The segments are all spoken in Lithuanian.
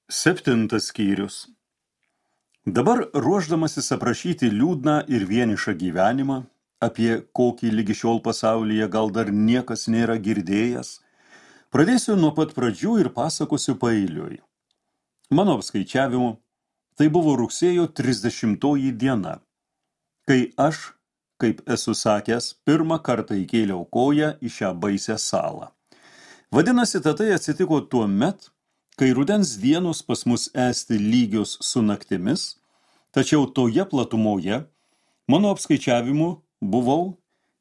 7 skyrius. Dabar ruošdamasis aprašyti liūdną ir vienišą gyvenimą, apie kokį lygi šiol pasaulyje gal dar niekas nėra girdėjęs, pradėsiu nuo pat pradžių ir pasakosiu paeiliui. Mano apskaičiavimu, tai buvo rugsėjo 30 diena, kai aš, kaip esu sakęs, pirmą kartą įkėliau koją į šią baisią salą. Vadinasi, tai atsitiko tuo met, kai rudens dienos pas mus esti lygios su naktimis, tačiau toje platumoje, mano apskaičiavimu, buvau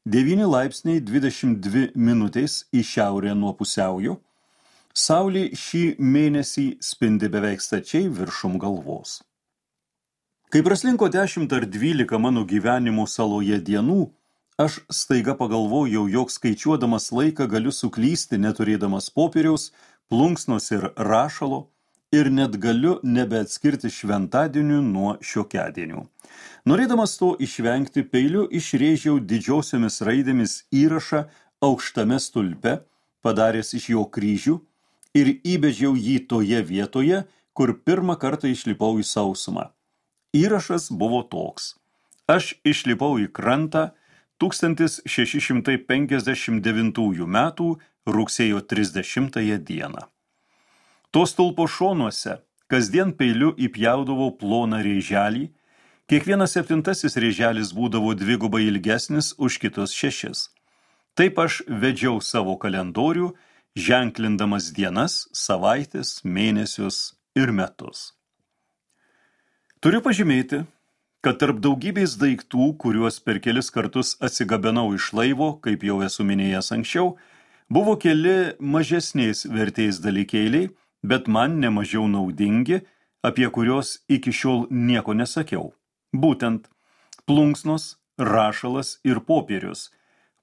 9 laipsniai 22 minutės į šiaurę nuo pusiaujo, saulė šį mėnesį spindi beveik stačiai viršum galvos. Kai praslinko 10 ar 12 mano gyvenimo saloje dienų, aš staiga pagalvojau, jog skaičiuodamas laiką galiu suklysti, neturėdamas popieriaus, plunksnos ir rašalo, ir net galiu nebeatskirti šventadienių nuo šiokiadienių. Norėdamas to išvengti, peiliu išrėžiau didžiosiomis raidėmis įrašą aukštame stulpe, padaręs iš jo kryžių, ir įbežiau jį toje vietoje, kur pirmą kartą išlipau į sausumą. Įrašas buvo toks. Aš išlipau į krantą 1659 metų rugsėjo 30 dieną. To stulpo šonuose kasdien peiliu įpjaudavau ploną rėželį, kiekvienas 7 rėželis būdavo dvigubai ilgesnis už kitus 6. Taip aš vedžiau savo kalendorių, ženklindamas dienas, savaitės, mėnesius ir metus. Turiu pažymėti, kad tarp daugybės daiktų, kuriuos per kelis kartus atsigabenau iš laivo, kaip jau esu minėjęs anksčiau, buvo keli mažesnės vertės dalykėliai, bet man nemažiau naudingi, apie kuriuos iki šiol nieko nesakiau. Būtent plunksnos, rašalas ir popierius.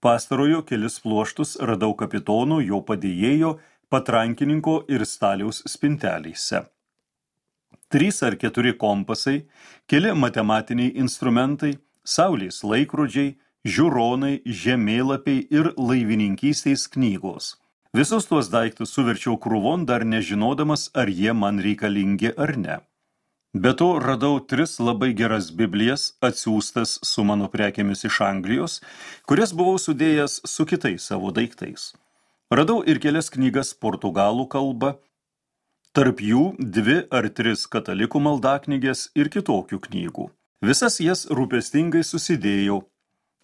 Pastarojo kelis pluoštus radau kapitono, jo padėjėjo, patrankininko ir staliaus spintelėse. 3 ar 4 kompasai, keli matematiniai instrumentai, saulės laikrodžiai, žiūronai, žemėlapiai ir laivininkystės knygos. Visus tuos daiktus suverčiau krūvon, dar nežinodamas, ar jie man reikalingi ar ne. Be to radau 3 labai geras Biblijas, atsiųstas su mano prekėmis iš Anglijos, kurias buvau sudėjęs su kitais savo daiktais. Radau ir kelias knygas portugalų kalba, tarp jų 2 ar 3 katalikų maldaknygės ir kitokių knygų. Visas jas rūpestingai susidėjau.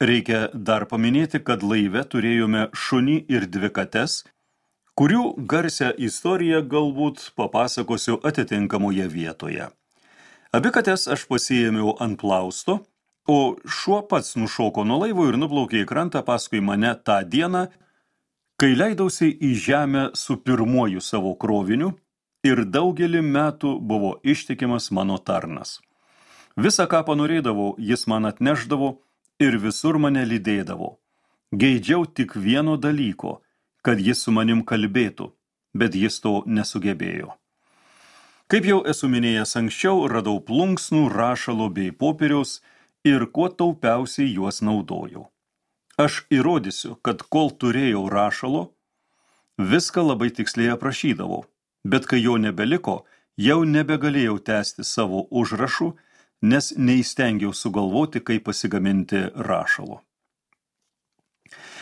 Reikia dar paminėti, kad laive turėjome šunį ir 2 kates, kurių garsią istoriją galbūt papasakosiu atitinkamoje vietoje. Abi kates aš pasiėmiau ant plausto, o šuo pats nušoko nuo laivo ir nuplaukė į krantą paskui mane tą dieną, kai leidausi į žemę su pirmuoju savo kroviniu ir daugelį metų buvo ištikimas mano tarnas. Visa, ką panorėdavau, jis man atnešdavo ir visur mane lydėdavo. Geidžiau tik vieno dalyko, kad jis su manim kalbėtų, bet jis to nesugebėjo. Kaip jau esu minėjęs anksčiau, radau plunksnų, rašalo bei popieriaus ir kuo taupiausiai juos naudojau. Aš įrodysiu, kad kol turėjau rašalo, viską labai tiksliai aprašydavau, bet kai jo nebeliko, jau nebegalėjau tęsti savo užrašų, nes neįstengiau sugalvoti, kaip pasigaminti rašalo.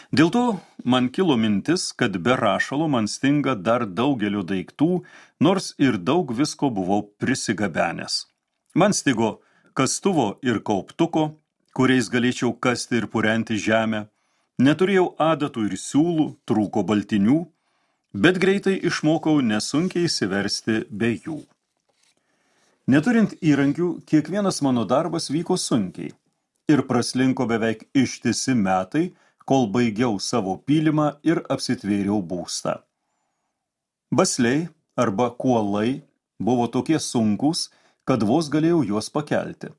Dėl to man kilo mintis, kad be rašalo man stinga dar daugelio daiktų, nors ir daug visko buvau prisigabenęs. Man stigo kastuvo ir kauptuko, kuriais galėčiau kasti ir purenti žemę, neturėjau adatų ir siūlų, trūko baltinių, bet greitai išmokau nesunkiai įsiversti be jų. Neturint įrankių, kiekvienas mano darbas vyko sunkiai ir praslinko beveik ištisi metai, kol baigiau savo pylimą ir apsitvėriau būstą. Basliai arba kuolai buvo tokie sunkūs, kad vos galėjau juos pakelti.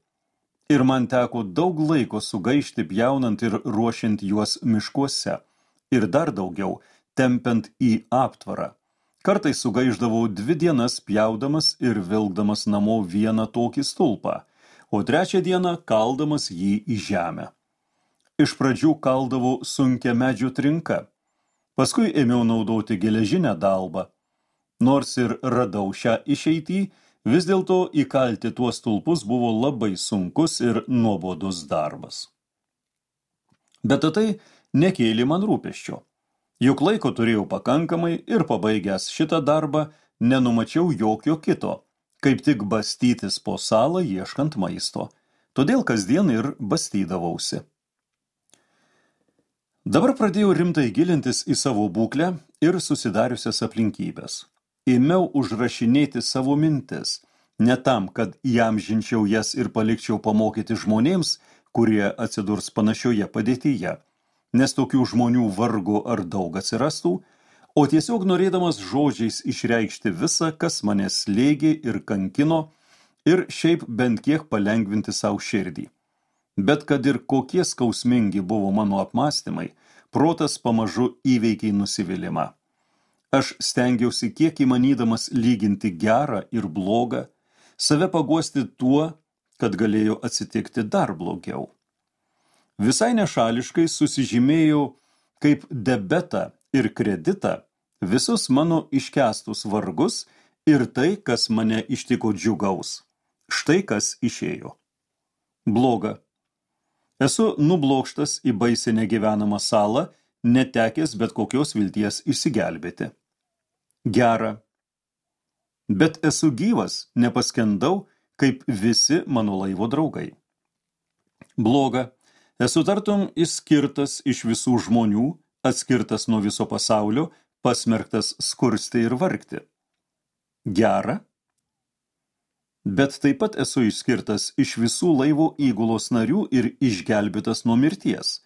Ir man teko daug laiko sugaišti pjaunant ir ruošiant juos miškuose, ir dar daugiau tempiant į aptvarą. Kartais sugaišdavau 2 dienas pjaudamas ir vilkdamas namo vieną tokį stulpą, o 3 dieną kaldamas jį į žemę. Iš pradžių kaldavau sunkia medžio trinka, paskui ėmiau naudoti geležinę dalbą, Nors ir radau šią išeitį, vis dėlto įkalti tuos stulpus buvo labai sunkus ir nuobodus darbas. Bet tai nekėlė man rūpesčio. Juk laiko turėjau pakankamai ir pabaigęs šitą darbą nenumačiau jokio kito, kaip tik bastytis po salą ieškant maisto. Todėl kasdien ir bastydavausi. Dabar pradėjau rimtai gilintis į savo būklę ir susidariusias aplinkybės. Ėmiau užrašinėti savo mintis, ne tam, kad įamžinčiau jas ir palikčiau pamokyti žmonėms, kurie atsidurs panašioje padėtyje, nes tokių žmonių vargu ar daug atsirastų, o tiesiog norėdamas žodžiais išreikšti visą, kas mane slėgė ir kankino, ir šiaip bent kiek palengvinti savo širdį. Bet kad ir kokie skausmingi buvo mano apmąstymai, protas pamažu įveikė nusivylimą. Aš stengiausi kiek įmanydamas lyginti gerą ir blogą, save paguosti tuo, kad galėjo atsitikti dar blogiau. Visai nešališkai susižymėjau kaip debetą ir kreditą visus mano iškęstus vargus ir tai, kas mane ištiko džiugaus. Štai kas išėjo. Bloga. Esu nublokštas į baisiai negyvenamą salą, netekęs bet kokios vilties išsigelbėti. Gera. Bet esu gyvas, nepaskendau, kaip visi mano laivo draugai. Bloga. Esu tartum išskirtas iš visų žmonių, atskirtas nuo viso pasaulio, pasmerktas skursti ir vargti. Gera. Bet taip pat esu išskirtas iš visų laivo įgulos narių ir išgelbėtas nuo mirties.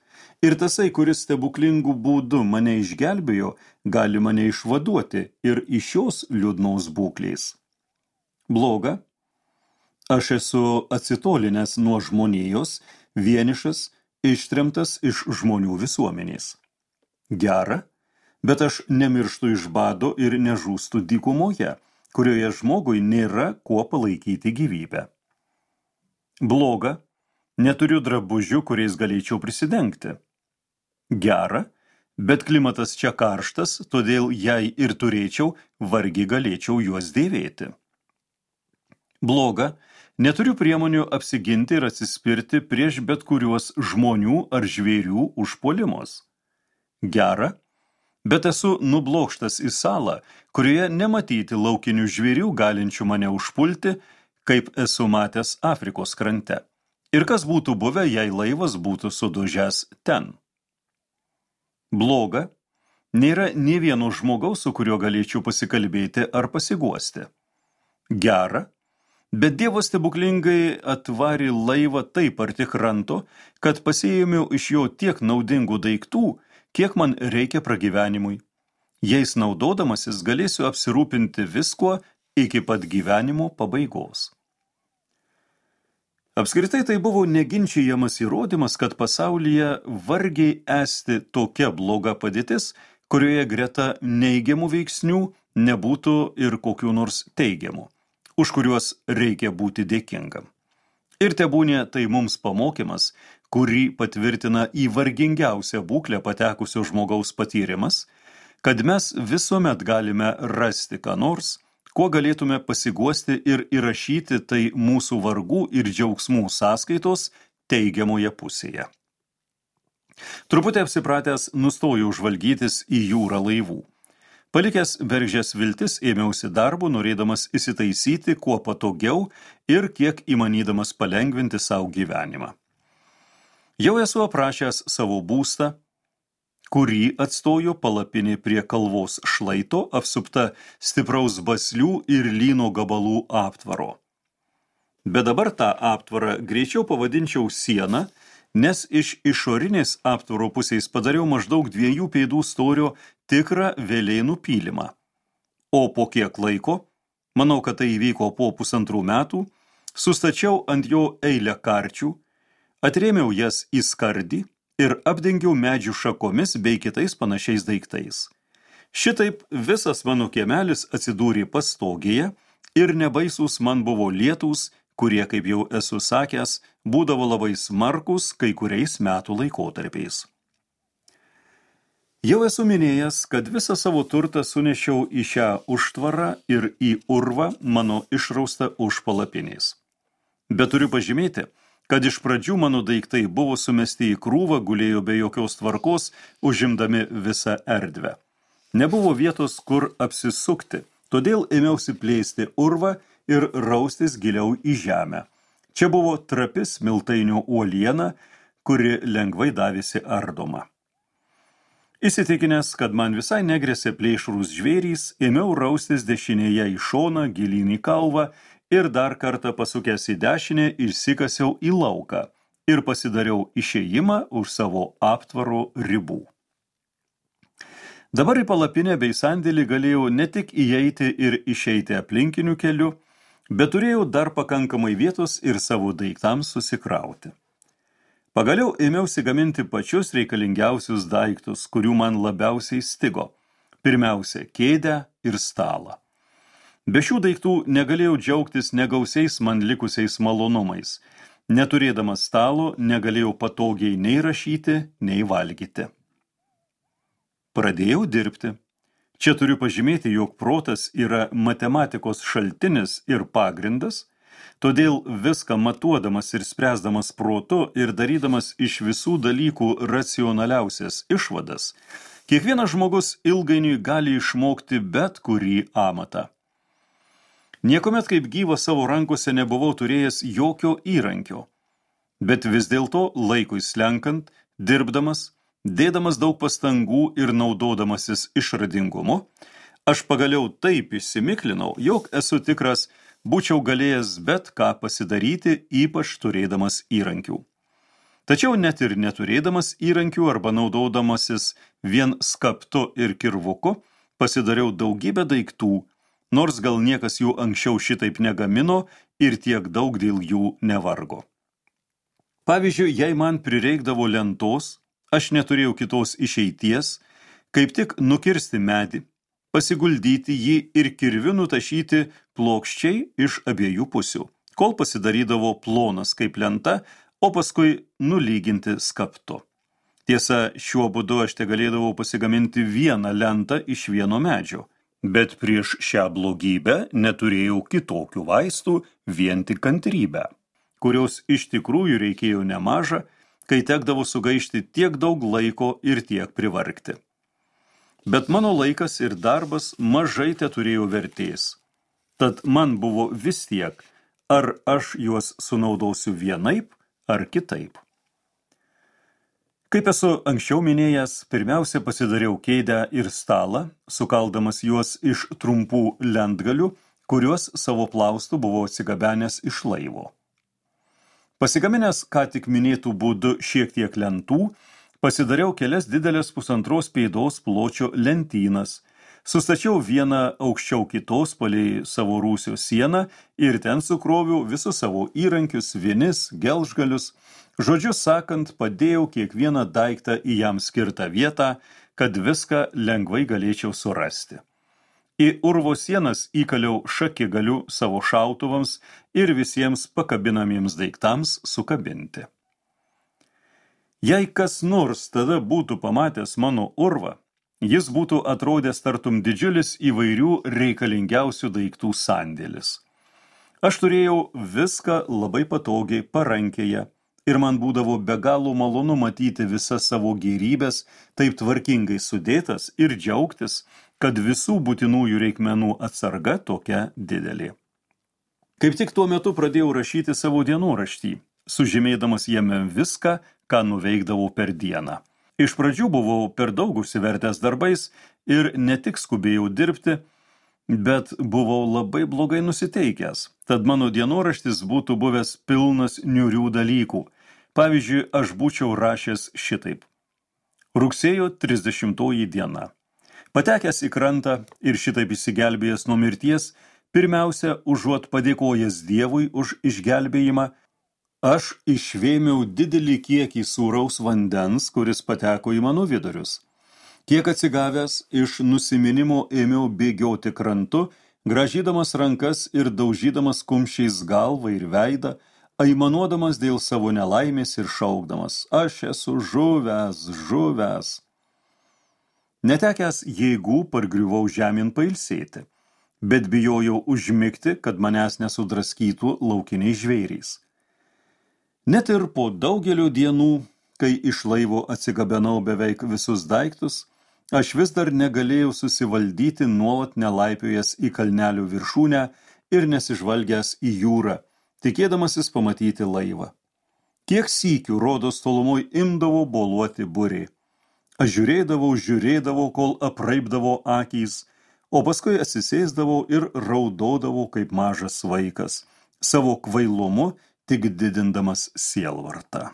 Ir tasai, kuris stebuklingų būdų mane išgelbėjo, gali mane išvaduoti ir iš šios liūdnaus būklės. Bloga. Aš esu atsitolinęs nuo žmonijos, vienišas, ištremtas iš žmonių visuomenės. Gera. Bet aš nemirštu iš bado ir nežūstu dykumoje, kurioje žmogui nėra kuo palaikyti gyvybę. Bloga. Neturiu drabužių, kuriais galėčiau prisidengti. Gera, bet klimatas čia karštas, todėl jei ir turėčiau, vargiai galėčiau juos dėvėti. Bloga, neturiu priemonių apsiginti ir atsispirti prieš bet kuriuos žmonių ar žvėrių užpuolimus. Gera, bet esu nublokštas į salą, kurioje nematyti laukinių žvėrių galinčių mane užpulti, kaip esu matęs Afrikos krante. Ir kas būtų buvę, jei laivas būtų sudužęs ten. Bloga, nėra nė vieno žmogaus, su kuriuo galėčiau pasikalbėti ar pasiguosti. Gera, bet Dievas stebuklingai atvarė laivą taip arti kranto, kad pasiėmiau iš jo tiek naudingų daiktų, kiek man reikia pragyvenimui. Jais naudodamasis galėsiu apsirūpinti viskuo iki pat gyvenimo pabaigos. Apskritai tai buvo neginčijamas įrodymas, kad pasaulyje vargiai esti tokia bloga padėtis, kurioje greta neigiamų veiksnių nebūtų ir kokių nors teigiamų, už kuriuos reikia būti dėkingam. Ir tebūnė tai mums pamokymas, kurį patvirtina į vargingiausią būklę patekusio žmogaus patyrimas, kad mes visuomet galime rasti ką nors, kuo galėtume pasiguosti ir įrašyti tai mūsų vargų ir džiaugsmų sąskaitos teigiamoje pusėje. Truputį apsipratęs nustojau žvalgytis į jūrą laivų. Palikęs Veržės viltis ėmiausi darbo, norėdamas įsitaisyti kuo patogiau ir kiek įmanydamas palengvinti savo gyvenimą. Jau esu aprašęs savo būstą, kurį atstojo palapinė prie kalvos šlaito, apsupta stipraus baslių ir lyno gabalų aptvaro. Bet dabar tą aptvarą greičiau pavadinčiau sieną, nes iš išorinės aptvaro pusės padariau maždaug 2 pėdų storio tikrą velėnų pylimą. O po kiek laiko, manau, kad tai įvyko po 1,5 metų, sustačiau ant jo eilę karčių, atrėmiau jas į skardį ir apdengiau medžių šakomis bei kitais panašiais daiktais. Šitaip visas mano kiemelis atsidūrė pastogėje ir nebaisūs man buvo lietūs, kurie, kaip jau esu sakęs, būdavo labai smarkus kai kuriais metų laikotarpiais. Jau esu minėjęs, kad visą savo turtą sunešiau į šią užtvarą ir į urvą mano išraustą už palapinės. Bet turiu pažymėti, kad iš pradžių mano daiktai buvo sumesti į krūvą, gulėjo be jokios tvarkos, užimdami visą erdvę. Nebuvo vietos, kur apsisukti, todėl ėmiausi plėsti urvą ir raustis giliau į žemę. Čia buvo trapi smiltainio uoliena, kuri lengvai davėsi ardoma. Įsitikinęs, kad man visai negresė plėšrūs žvėrys, ėmiau raustis dešinėje į šoną, gilyn į kalvą ir dar kartą pasukęs į dešinę išsikasiau į lauką ir pasidariau išėjimą už savo aptvaro ribų. Dabar į palapinę bei sandėlį galėjau ne tik įeiti ir išeiti aplinkiniu keliu, bet turėjau dar pakankamai vietos ir savo daiktams susikrauti. Pagaliau ėmiausi gaminti pačius reikalingiausius daiktus, kurių man labiausiai stigo. Pirmiausia, kėdę ir stalą. Be šių daiktų negalėjau džiaugtis negausiais man likusiais malonumais. Neturėdamas stalo negalėjau patogiai nei rašyti, nei valgyti. Pradėjau dirbti. Čia turiu pažymėti, jog protas yra matematikos šaltinis ir pagrindas, todėl viską matuodamas ir spręsdamas protu ir darydamas iš visų dalykų racionaliausias išvadas, kiekvienas žmogus ilgainiui gali išmokti bet kurį amatą. Niekuomet kaip gyvas savo rankose nebuvau turėjęs jokio įrankio, bet vis dėlto laikui slenkant, dirbdamas, dėdamas daug pastangų ir naudodamasis išradingumu, aš pagaliau taip įsimiklinau, jog esu tikras, būčiau galėjęs bet ką pasidaryti, ypač turėdamas įrankių. Tačiau net ir neturėdamas įrankių arba naudodamasis vien skaptu ir kirvuku, pasidariau daugybę daiktų, nors gal niekas jų anksčiau šitaip negamino ir tiek daug dėl jų nevargo. Pavyzdžiui, jei man prireikdavo lentos, aš neturėjau kitos išeities, kaip tik nukirsti medį, pasiguldyti jį ir kirviu nutašyti plokščiai iš abiejų pusių, kol pasidarydavo plonas kaip lenta, o paskui nulyginti skaptu. Tiesa, šiuo būdu aš tegalėdavau pasigaminti vieną lentą iš vieno medžio, bet prieš šią blogybę neturėjau kitokių vaistų, vien tik kantrybę, kurios iš tikrųjų reikėjo nemaža, kai tekdavo sugaišti tiek daug laiko ir tiek privargti. Bet mano laikas ir darbas mažai teturėjo vertės. Tad man buvo vis tiek, ar aš juos sunaudosiu vienaip ar kitaip. Kaip esu anksčiau minėjęs, pirmiausia pasidariau kėdę ir stalą, sukaldamas juos iš trumpų lentgalių, kuriuos savo plaustų buvo atsigabenęs iš laivo. Pasigaminęs ką tik minėtų būdu šiek tiek lentų, pasidariau kelias didelės 1,5 pėdos pločio lentynas, sustačiau vieną aukščiau kitos palei savo rūsio sieną ir ten sukroviau visus savo įrankius, vinis, gelžgalius, žodžiu sakant, padėjau kiekvieną daiktą į jam skirtą vietą, kad viską lengvai galėčiau surasti. Į urvo sienas įkaliau šakigaliu savo šautuvams ir visiems pakabinamiems daiktams sukabinti. Jei kas nors tada būtų pamatęs mano urvą, jis būtų atrodęs tartum didžiulis įvairių reikalingiausių daiktų sandėlis. Aš turėjau viską labai patogiai parankėje ir man būdavo be galo malonu matyti visas savo gėrybės taip tvarkingai sudėtas ir džiaugtis, kad visų būtinųjų reikmenų atsarga tokia didelė. Kaip tik tuo metu pradėjau rašyti savo dienoraštį, sužymėdamas jame viską, ką nuveikdavau per dieną. Iš pradžių buvau per daug užsivertęs darbais ir ne tik skubėjau dirbti, bet buvau labai blogai nusiteikęs, tad mano dienoraštis būtų buvęs pilnas niūrių dalykų. Pavyzdžiui, aš būčiau rašęs šitaip. Rugsėjo 30 diena. Patekęs į krantą ir šitaip išsigelbėjęs nuo mirties, pirmiausia, užuot padėkojęs Dievui už išgelbėjimą, aš išvėmiau didelį kiekį sūraus vandens, kuris pateko į mano vidurius. Kiek atsigavęs, iš nusiminimo ėmiau bėgioti krantu, grąžydamas rankas ir daužydamas kumščiais galvą ir veidą, aimanuodamas dėl savo nelaimės ir šaukdamas, aš esu žuvęs, žuvęs. Netekęs jėgų pargriuvau žemyn pailsėti, bet bijojau užmigti, kad manęs nesudraskytų laukiniai žvėrys. Net ir po daugelio dienų, kai iš laivo atsigabenau beveik visus daiktus, aš vis dar negalėjau susivaldyti nuolat nelaipiojęs į kalnelių viršūnę ir nesižvalgęs į jūrą, tikėdamasis pamatyti laivą. Kiek sykių rodos tolumoj imdavo boluoti burė. Aš žiūrėdavau, kol apraibdavo akys, o paskui atsisėsdavau ir raudodavau kaip mažas vaikas, savo kvailumu tik didindamas sielvartą.